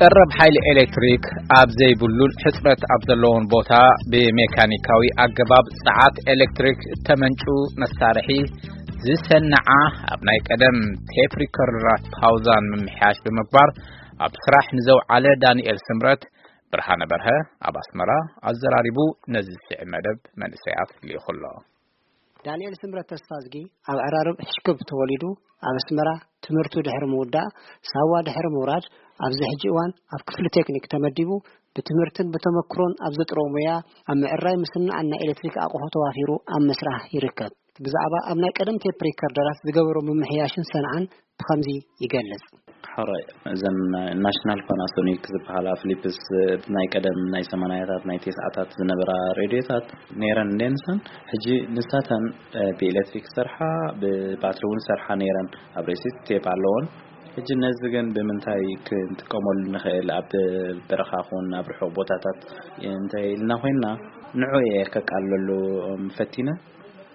ቀረብ ሓይሊ ኤሌክትሪክ ኣብ ዘይብሉን ሕጽረት ኣብ ዘለዎን ቦታ ብሜካኒካዊ ኣገባብ ጸዓት ኤሌክትሪክ ተመንጩ መሳርሒ ዝሰንዓ ኣብ ናይ ቀደም ቴፕ ሪከርደራት ፓውዛን ምምሕያሽ ብምግባር ኣብ ስራሕ ንዘውዓለ ዳንኤል ስምረት ብርሃነ በርሀ ኣብ ኣስመራ ኣዘራሪቡ ነዚ ዝስዕብ መደብ መንእሰያት ልኢኹ ኣሎ። ዳንኤል ስምረት ተስፋዝጊ ኣብ ዕራርብ ሕሽክብ ተወሊዱ ኣብ ኣስመራ ትምህርቱ ድሕሪ ምውዳእ ሳዋ ድሕሪ ምውራድ ኣብዚ ሕጂ እዋን ኣብ ክፍሊ ቴክኒክ ተመዲቡ ብትምህርትን ብተመክሮን ኣብ ዘጥሮ ሙያ ኣብ ምዕራይ ምስናዕን ናይ ኤሌክትሪክ ኣቑሑ ተዋፊሩ ኣብ ምስራሕ ይርከብ። ብዛዕባ ኣብ ናይ ቀደም ቴፕ ሪከርደራት ዝገበሮ ምምሕያሽን ሰንዓን ብኸምዚ ይገልጽ። ሕራይ እዘን ናሽናል ፓናሶኒክ ዝበሃላ ፊሊፕስ ናይ ቀደም ናይ ሰማንያታት ናይ ተስዓታት ዝነበራ ሬድዮታት ነይረን እንዴንሰን ሕጂ ንሳተን ብኤሌክትሪክ ሰርሓ ብባትሪ እውን ሰርሓ ነይረን ኣብ ርእሲ ቴፕ ኣለዎን። ሕጂ ነዚ ግን ብምንታይ ክንጥቀመሉ ንኽእል ኣብ በረኻ ኹን ኣብ ርሑቕ ቦታታት እንታይ ኢልና ኮይንና ንዑ እየ ከቃልለሉ ፈቲነ።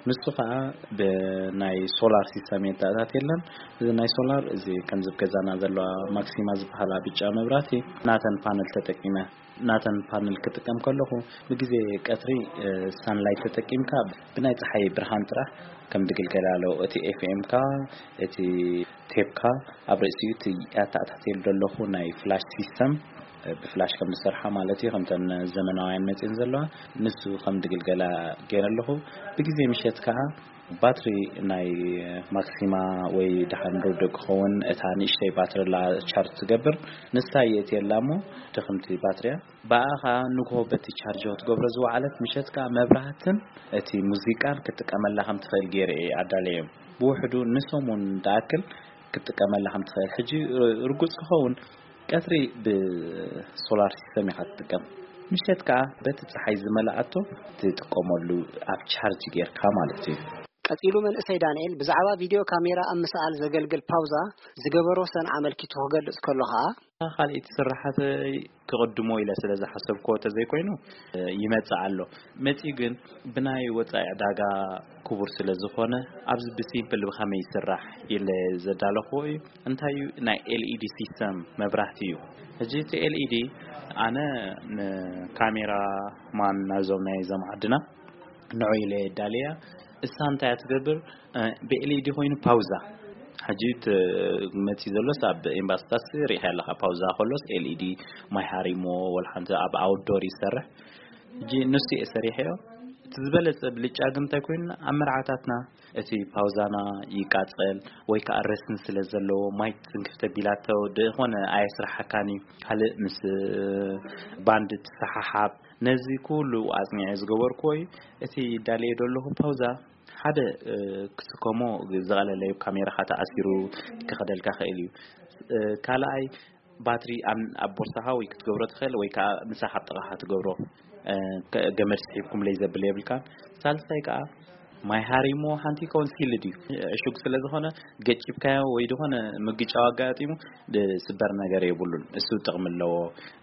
ንሱ ኸዓ ብናይ ሶላር ሲስተም የተኣታት የለን። እዚ ናይ ሶላር እዚ ከምዚ ገዛና ዘለዋ ማክሲማ ዝበሃላ ብጫ መብራቲ ናተን ፓነል ተጠቂመ ናተን ፓነል ክጥቀም ከለኹ ብግዜ ቀትሪ ሳንላይት ተጠቂምካ ብናይ ፀሓይ ብርሃን ጥራሕ ከም ድግልገል ኣለዉ እቲ ኤፍኤምካ እቲ ቴፕካ ኣብ ርእሲኡ እቲ ኣተኣታትየሉ ዘለኹ ናይ ፍላሽ ሲስተም ብፍላሽ ከም ዝሰርሓ ማለት እዩ ከምተን ዘመናውያን መፅን ዘለዋ ንሱ ከም ድግልገላ ገይረ ኣለኹ። ብግዜ ምሸት ከዓ ባትሪ ናይ ማክሲማ ወይ ደሓን ርድእ ክኸውን እታ ንእሽተይ ባትሪ ላ ቻርጅ ትገብር ንሳ የእትየላ እሞ ድኽምቲ ባትሪያ ብኣ ከዓ ንግሆ በቲ ቻርጅ ክትገብሮ ዝወዓለት ምሸት ከዓ መብራህትን እቲ ሙዚቃን ክትጥቀመላ ከም ትኽእል ገይረ እየ ኣዳለዮም። ብውሕዱ ንሰሙን ዝኣክል ክትጥቀመላ ከም ትኽእል ሕጂ ርጉፅ ክኸውን ቀትሪ ብሶላር ሲስተም ኢኻ ትጥቀም። ምሸት ከዓ በቲ ፀሓይ ዝመልኣቶ ትጥቀመሉ ኣብ ቻርጅ ጌርካ ማለት እዩ። ቀጺሉ መንእሰይ ዳንኤል ብዛዕባ ቪድዮ ካሜራ ኣብ ምስኣል ዘገልግል ፓውዛ ዝገበሮ ሰንዓ ኣመልኪቱ ክገልጽ ከሎ ኸኣ፣ ካልኣይቲ ስራሓተይ ክቕድሞ ኢለ ስለ ዝሓሰብክዎ ተዘይኮይኑ ይመጽእ ኣሎ። መጺኡ ግን ብናይ ወጻኢ ዕዳጋ ክቡር ስለ ዝኾነ ኣብዚ ብሲምፕል ብኸመይ ይስራሕ ኢለ ዘዳለኽዎ እዩ። እንታይ እዩ ናይ ኤልኢዲ ሲስተም መብራህቲ እዩ። ሕጂ እቲ ኤልኢዲ ኣነ ንካሜራ ማን ናይዞም ናይ ዘም ዓድና ንዑ ኢለ የዳልያ። እሳ እንታይ እያ ትገብር? ብኤልኢዲ ኮይኑ ፓውዛ ሕጂ መፂ ዘሎስ ኣብ ኤምባስታት ሪኢኻ ኣለካ ፓውዛ ከሎስ ኤልኢዲ ማይ ሃሪሞ ወላ ሓንቲ ኣብ ኣውትዶር ይሰርሕ። ሕጂ ንሱ እየ ሰሪሐዮ። እቲ ዝበለፀ ብልጫ ግን እንታይ ኮይኑ ኣብ መርዓታትና እቲ ፓውዛና ይቃፀል ወይ ከዓ ረስን ስለ ዘለዎ ማይ ትንክፍ ተቢላቶ ድኾነ ኣየስራሓካን እዩ። ካልእ ምስ ባንድ ትሰሓሓብ ነዚ ኩሉ ኣጽኒዐ ዝገበርኩዎ እዩ። እቲ ዳልየ ደለኹ ፓውዛ ሓደ ክስከሞ ዝቐለለ እዩ። ካሜራኻ ተኣሲሩ ክኸደልካ ክእል እዩ። ካልኣይ ባትሪ ኣብ ቦርሳኻ ወይ ክትገብሮ ትኽእል ወይ ከዓ ምሳኻ ኣብ ጥቓኻ ትገብሮ ገመድ ስሒብኩም ለይ ዘብል የብልካን። ሳልሳይ ከዓ ማይ ሃሪሞ ሓንቲ ይከውን ሲልድ እዩ። ዕሹግ ስለ ዝኾነ ገጭብካዮ ወይ ዝኾነ ምግጫው ኣጋጢሙ ዝስበር ነገር የብሉን። እሱ ጥቕሚ ኣለዎ።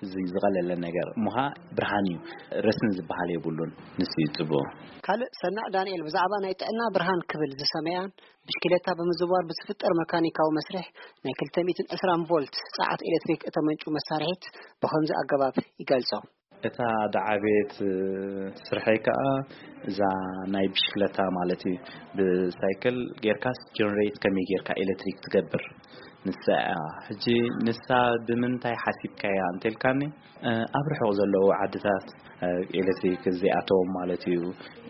እዚ ዝቐለለ ነገር እሞ ኸዓ ብርሃን እዩ። ረስን ዝበሃል የብሉን። ንሱ እዩ ጽቡቕ። ካልእ ሰናዕ ዳንኤል ብዛዕባ ናይ ጥዕና ብርሃን ክብል ዝሰመያን ብሽክሌታ ብምዝዋር ብዝፍጠር መካኒካዊ መስርሕ ናይ ክልተ ሚእትን ዕስራን ቮልት ጸዓት ኤሌክትሪክ እተመንጩ መሳርሒት ብኸምዚ ኣገባብ ይገልጾ። እታ ደዓቤት ስርሐይ ከዓ እዛ ናይ ብሽክለታ ማለት እዩ። ብሳይክል ጌርካስ ጀነሬት ከመይ ጌርካ ኤሌክትሪክ ትገብር ንሳ እያ። ሕጂ ንሳ ብምንታይ ሓሲብካያ እንተልካኒ ኣብ ርሑቕ ዘለዉ ዓድታት ኤሌክትሪክ እዚኣቶም ማለት እዩ።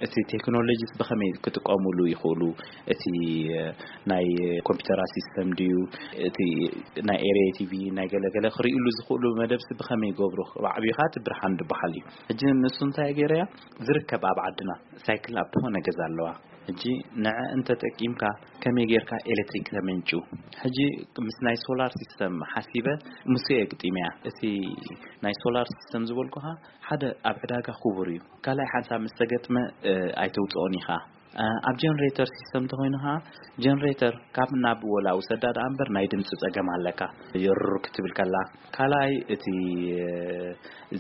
እቲ ቴክኖሎጂስ ብኸመይ ክጥቀሙሉ ይኽእሉ? እቲ ናይ ኮምፒውተራ ሲስተም ድዩ? እቲ ናይ ኤርየ ቲቪ ናይ ገለገለ ክርእሉ ዝኽእሉ መደብሲ ብኸመይ ይገብሩ? ባዕቢኻ እቲ ብርሃን ዝበሃል እዩ። ሕጂ ንሱ እንታይ ገይረያ ዝርከብ ኣብ ዓድና ሳይክል ኣብ ዝኾነ ገዛ ኣለዋ። ሕጂ ንዐ እንተጠቂምካ ከመይ ጌርካ ኤሌክትሪክ ተመንጩ? ሕጂ ምስ ናይ ሶላር ሲስተም ሓሲበ ምስ ግጢምያ። እቲ ናይ ሶላር ሲስተም ዝበልኩኻ ሓደ ኣብ ዕዳጋ ክቡር እዩ። ካልኣይ ሓንሳብ ምስ ተገጥመ ኣይተውፅኦን ኢኻ። ኣብ ጀነሬተር ሲስተም እንተኾይኑ ኸዓ፣ ጀነሬተር ካብ ናብ ወላ ውሰዳ ደኣ እምበር ናይ ድምፂ ፀገም ኣለካ። የሩር ክትብል ከላ፣ ካልኣይ እቲ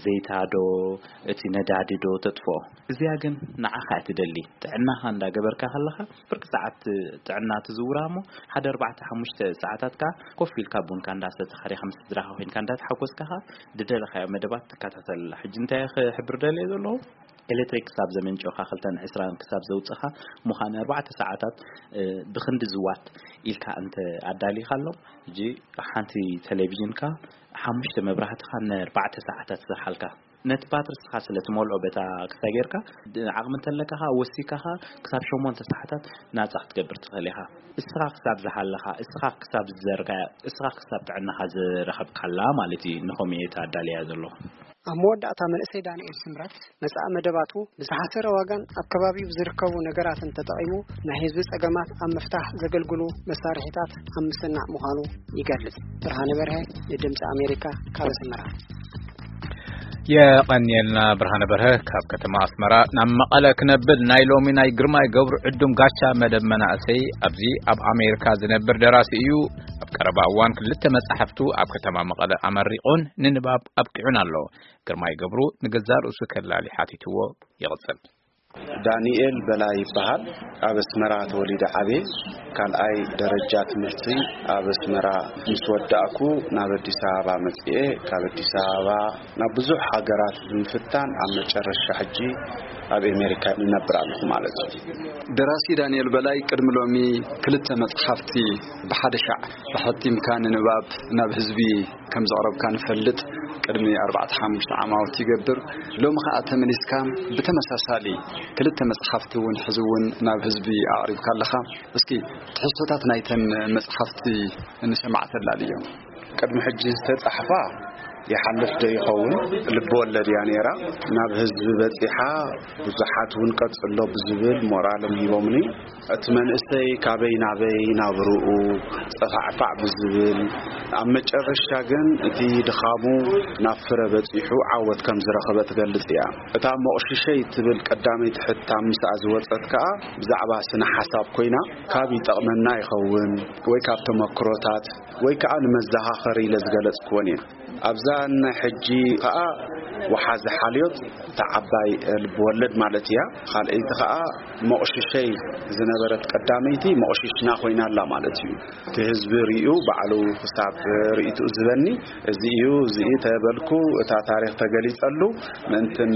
ዘይታ ዶ እቲ ነዳዲ ዶ ተጥፍኦ። እዚኣ ግን ንዓኻ እያ ትደሊ። ጥዕናኻ እንዳገበርካ ከለኻ፣ ፍርቂ ሰዓት ጥዕና ትዝውራ እሞ፣ ሓደ ኣርባዕተ ሓሙሽተ ሰዓታት ከኣ ኮፍ ኢልካ ቡንካ እንዳሰተኻ ዲኻ ምስ ስድራኻ ኮይንካ እንዳተሓጎስካ ከኣ፣ ዝደለኻዮ መደባት ትከታተል። ሕጂ እንታይ ክሕብር ደልየ ዘለኹ? ኤሌክትሪክ ክሳብ ዘመንጨኻ፣ ክልተን ዕስራን ክሳብ ዘውፅኻ፣ ምዃን ኣርባዕተ ሰዓታት፣ እ፣ ብኽንዲ ዝዋት ኢልካ እንተ ኣዳሊኻሎም፣ ሕጂ ሓንቲ ቴሌቪዥንካ፣ ሓሙሽተ መብራህትኻ ንኣርባዕተ ሰዓታት ዝሰርሓልካ። ነቲ ባትሪ እስኻ ስለ ትመልኦ በታ ክስታይ ጌርካ፣ ድ-፣ ዓቕሚ እንተለካ ኸዓ ወሲካ ኸዓ ክሳብ ሸሞንተ ሰዓታት ናጻ ክትገብር ትኽእል ኢኻ። እስኻ ክሳብ ዝሃለኻ፣ እስኻ ክሳብ ዝዘርጋያ፣ እስኻ ክሳብ ጥዕናኻ ዝረኸብካላ ማለት እዩ። ንኸምኡ እየ ኣዳልያ ዘለኹ። ኣብ መወዳእታ መንእሰይ ዳንኤል ስምረት መጻኢ መደባቱ ብዝሓሰረ ዋጋን ኣብ ከባቢኡ ብዝርከቡ ነገራትን ተጠቒሙ ናይ ህዝቢ ጸገማት ኣብ ምፍታሕ ዘገልግሉ መሳርሒታት ኣብ ምስናዕ ምዃኑ ይገልጽ። ብርሃነ በርሀ ንድምጺ ኣሜሪካ ካብ ኣስመራ። የቐንየልና ብርሃነ በርሀ ካብ ከተማ ኣስመራ። ናብ መቐለ ክነብል፣ ናይ ሎሚ ናይ ግርማይ ገብሩ ዕዱም ጋቻ መደብ መናእሰይ ኣብዚ ኣብ ኣሜሪካ ዝነብር ደራሲ እዩ። ኣብ ቀረባ እዋን ክልተ መጻሕፍቱ ኣብ ከተማ መቐለ ኣመሪቑን ንንባብ ኣብቂዑን ኣሎ። ግርማይ ገብሩ ንገዛእ ርእሱ ከላሊ ሓቲትዎ ይቕጽል። ዳንኤል በላይ ይበሃል። ኣብ ኣስመራ ተወሊደ ዓብየ። ካልኣይ ደረጃ ትምህርቲ ኣብ ኣስመራ ምስ ወዳእኩ ናብ ኣዲስ ኣበባ መጽኤ። ካብ ኣዲስ ኣበባ ናብ ብዙሕ ሃገራት ብምፍታን ኣብ መጨረሻ ሕጂ ኣብ ኣሜሪካ ይነብር ኣለኹ ማለት እዩ። ደራሲ ዳንኤል በላይ ቅድሚ ሎሚ ክልተ መጽሓፍቲ ብሓደ ሻዕ ኣሐቲምካ ንንባብ ናብ ህዝቢ ከም ዘቕረብካ ንፈልጥ። ቅድሚ ኣርባዕተ ሓሙሽተ ዓማውቲ ይገብር። ሎሚ ኸኣ ተመሊስካ ብተመሳሳሊ ክልተ መጽሓፍቲ እውን ሕዚ እውን ናብ ህዝቢ ኣቕሪብካ ኣለኻ። እስኪ ትሕዝቶታት ናይተን መጽሓፍቲ ንሰማዕ ተላልዮም። ቅድሚ ሕጂ ዝተጻሕፋ ይሓልፍ ዶ ይኸውን? ልቢ ወለድ እያ ነይራ። ናብ ህዝቢ በጺሓ፣ ብዙሓት እውን ቀጽሎ ብዝብል ሞራሎም ሂቦምኒ። እቲ መንእሰይ ካበይ ናበይ ናብርኡ ጸፋዕፋዕ ብዝብል፣ ኣብ መጨረሻ ግን እቲ ድኻሙ ናብ ፍረ በጺሑ ዓወት ከም ዝረኸበ ትገልጽ እያ። እታ ሞቕሽሸይ ትብል ቀዳመይቲ ሕታም ምስኣ ዝወጸት ከኣ ብዛዕባ ስነ ሓሳብ ኮይና፣ ካብ ይጠቕመና ይኸውን ወይ ካብ ተመክሮታት ወይ ከኣ ንመዘኻኸሪ ኢለ ዝገለጽክወን እየን። ኣብዛ ናይ ሕጂ ከኣ ወሓዚ ሓልዮት እታ ዓባይ ልቢ ወለድ ማለት እያ። ካልኣይቲ ከኣ መቑሽሸይ ዝነበረት ቀዳመይቲ መቑሽሽና ኮይና ኣላ ማለት እዩ። እቲ ህዝቢ ርእዩ ባዕሉ ክሳብ ርእይትኡ ዝበኒ፣ እዚ እዩ፣ እዚ እዩ ተበልኩ፣ እታ ታሪኽ ተገሊጸሉ፣ ምእንትን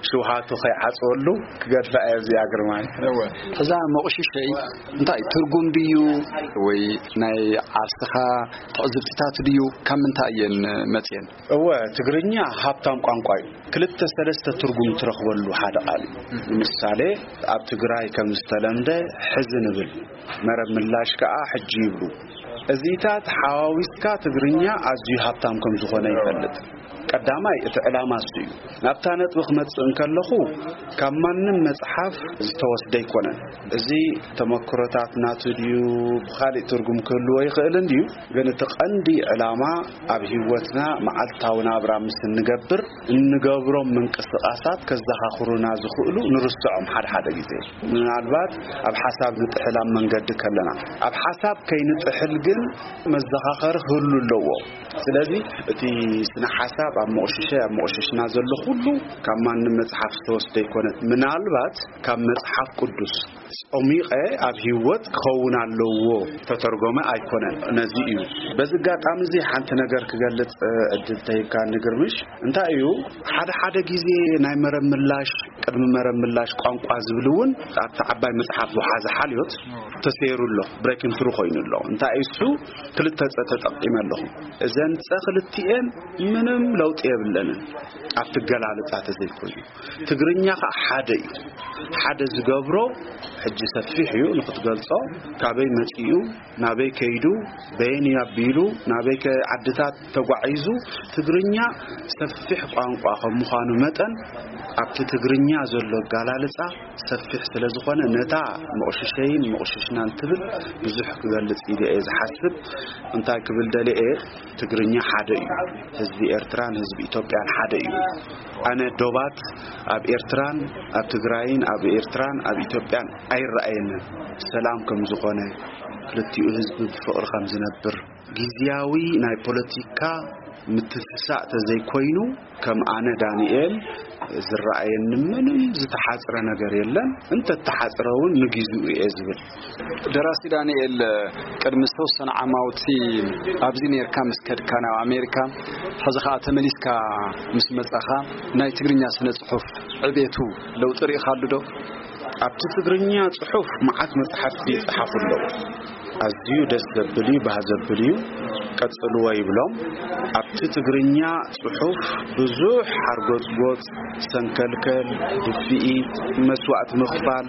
ሽውሃቱ ከይዓጽወሉ ክገድፋ እየ። እዚኣ ግርማይ። እወ። እዛ መቑሽሸይ እንታይ ትርጉም ድዩ ወይ ናይ ዓርስኻ ትዕዝብትታት ድዩ? ካብ ምንታይ እየን መጽየን? እወ፣ ትግርኛ ሃብታም ቋንቋ እዩ። ክልተ ሰለስተ ትርጉም ትረኽበሉ ሓደ ቃል እዩ። ንምሳሌ፣ ኣብ ትግራይ ከም ዝተለምደ ሕዚ ንብል፣ መረብ ምላሽ ከኣ ሕጂ ይብሉ። እዚታት ሓዋዊስካ ትግርኛ ኣዝዩ ሃብታም ከም ዝኾነ ይፈልጥ። ቀዳማይ፣ እቲ ዕላማ እሱ እዩ። ናብታ ነጥቢ ክመጽእ እንከለኹ፣ ካብ ማንም መጽሓፍ ዝተወስደ ኣይኮነን። እዚ ተመክሮታት ናቱ ድዩ፣ ብኻሊእ ትርጉም ክህልዎ ይኽእል እንድዩ፣ ግን እቲ ቀንዲ ዕላማ ኣብ ህይወትና መዓልታዊ ናብራ ምስ እንገብር እንገብሮም ምንቅስቓሳት ከዘኻኽሩና ዝኽእሉ ንርስዖም ሓደ ሓደ ግዜ። ምናልባት ኣብ ሓሳብ ንጥሕል ኣብ መንገዲ ከለና፣ ኣብ ሓሳብ ከይንጥሕል ግን መዘኻኸሪ ክህሉ ኣለዎ። ስለዚ እቲ ስነ ሓሳብ ኣብ መቑሽሸ፣ ኣብ መቑሽሽና ዘሎ ኩሉ ካብ ማንም መጽሓፍ ዝተወስደ ኣይኮነን። ምናልባት ካብ መጽሓፍ ቅዱስ ጾሚቐ ኣብ ህይወት ክኸውን ኣለዎ ተተርጎመ ኣይኮነን። ነዚ እዩ። በዚ ኣጋጣሚ እዚ ሓንቲ ነገር ክገልጽ፣ እ፣ ዕድል ተሂብካ ንግርምሽ። እንታይ እዩ፣ ሓደ ሓደ ግዜ ናይ መረብ ምላሽ፣ ቅድሚ መረብ ምላሽ ቋንቋ ዝብል እውን ኣብቲ ዓባይ መጽሓፍ ወሓዚ ሓልዮት ተሰይሩ ኣሎ፣ ብሬኪንግ ትሩ ኮይኑ ኣሎ። እንታይ እዩ እሱ? ክልተ ጸ ተጠቂመ ኣለኹ። እዘን ጸ ክልቲኤን ምንም ለውጢ የብለንን ኣብቲ ገላልጻ ተዘይኮይኑ። ትግርኛ ኸዓ ሓደ እዩ። ሓደ ዝገብሮ ሕጂ ሰፊሕ እዩ ንኽትገልጾ፣ ካበይ መጺኡ፣ ናበይ ከይዱ፣ በየን እዩ ኣቢሉ፣ ናበይ ከ ዓድታት ተጓዒዙ፣ ትግርኛ ሰፊሕ ቋንቋ ከም ምዃኑ መጠን፣ ኣብቲ ትግርኛ ዘሎ ኣገላልጻ ሰፊሕ ስለ ዝኾነ፣ ነታ መቑሽሸይን መቑሽሽናን ትብል ብዙሕ ክገልጽ ኢለ እየ ዝሓስብ። እንታይ ክብል ደልየ እየ፣ ትግርኛ ሓደ እዩ። ህዝቢ ኤርትራ ህዝቢ ኢትዮጵያን ሓደ እዩ። ኣነ ዶባት ኣብ ኤርትራን ኣብ ትግራይን ኣብ ኤርትራን ኣብ ኢትዮጵያን ኣይረኣየንን። ሰላም ከም ዝኾነ፣ ክልቲኡ ህዝቢ ብፍቕሪ ከም ዝነብር፣ ግዝያዊ ናይ ፖለቲካ ምትፍሳእ ተዘይኮይኑ፣ ከም ኣነ ዳንኤል ዝረኣየኒ ምንም ዝተሓጽረ ነገር የለን። እንተተሓጽረ እውን ንግዜኡ እየ ዝብል። ደራሲ ዳንኤል፣ ቅድሚ ዝተወሰነ ዓማውቲ ኣብዚ ኔርካ ምስ ከድካ ናብ ኣሜሪካ፣ ሕዚ ኸዓ ተመሊስካ ምስ መጻኻ፣ ናይ ትግርኛ ስነ ጽሑፍ ዕቤቱ ለውጢ ርኢኻሉ ዶ? ኣብቲ ትግርኛ ጽሑፍ መዓት መጽሓፍቲ ይጸሓፉ ኣለዉ። ኣዝዩ ደስ ዘብል እዩ፣ ባህ ዘብል እዩ። ቀጽልዎ ይብሎም። ኣብቲ ትግርኛ ጽሑፍ ብዙሕ ሓርጎጽጎጽ፣ ሰንከልከል፣ ድፍኢት፣ መስዋእቲ ምኽፋል፣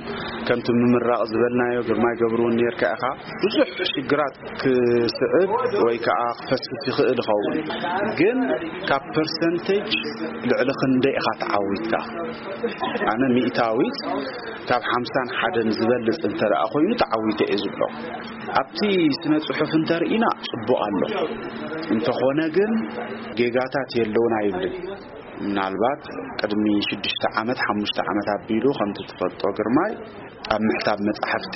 ከምቲ ምምራቕ ዝበልናዮ፣ ግርማይ ገብሩ እውን ኔርካ ኢኻ። ብዙሕ ሽግራት ክስዕብ ወይ ከዓ ክፈስስ ይኽእል ይኸውን። ግን ካብ ፐርሰንቴጅ ልዕሊ ክንደይ ኢኻ ተዓዊትካ? ኣነ ሚእታዊት ካብ ሓምሳን ሓደን ዝበልጽ እንተ ደኣ ኮይኑ ተዓዊተ እየ ዝብሎ። ኣብቲ ስነ ጽሑፍ እንተርኢና ጽቡቕ ኣሎ። እንተኾነ ግን ጌጋታት የለውን ኣይብልን። ምናልባት ቅድሚ ሽዱሽተ ዓመት፣ ሓሙሽተ ዓመት ኣቢሉ ከምቲ ትፈልጦ ግርማይ፣ ኣብ ምሕታም መጻሕፍቲ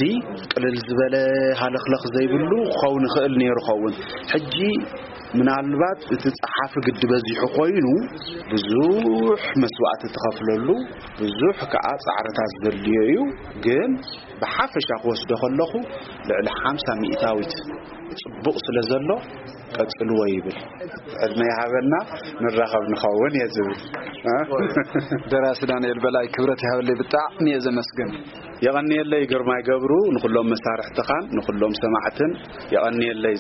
ቅልል ዝበለ ሃለኽለኽ ዘይብሉ ክኸውን ይኽእል ነይሩ ኸውን። ሕጂ ምናልባት እቲ ጸሓፊ ግዲ በዚሑ ኮይኑ ብዙሕ መስዋእቲ ትኸፍለሉ፣ ብዙሕ ከኣ ጻዕርታት ዘድልዮ እዩ። ግን ብሓፈሻ ክወስዶ ከለኹ ልዕሊ ሓምሳ ሚእታዊት ጽቡቕ ስለ ዘሎ ቀጽልዎ ይብል። ዕድመ ይሃበና፣ ንራኸብ ንኸውን እየ ዝብል። ደራሲ ዳንኤል በላይ፣ ክብረት ይሃበለይ፣ ብጣዕሚ እየ ዘመስግን። የቐንየለይ ግርማይ ገብሩ፣ ንኹሎም መሳርሕትኻን ንኹሎም ሰማዕትን የቐንየለይ።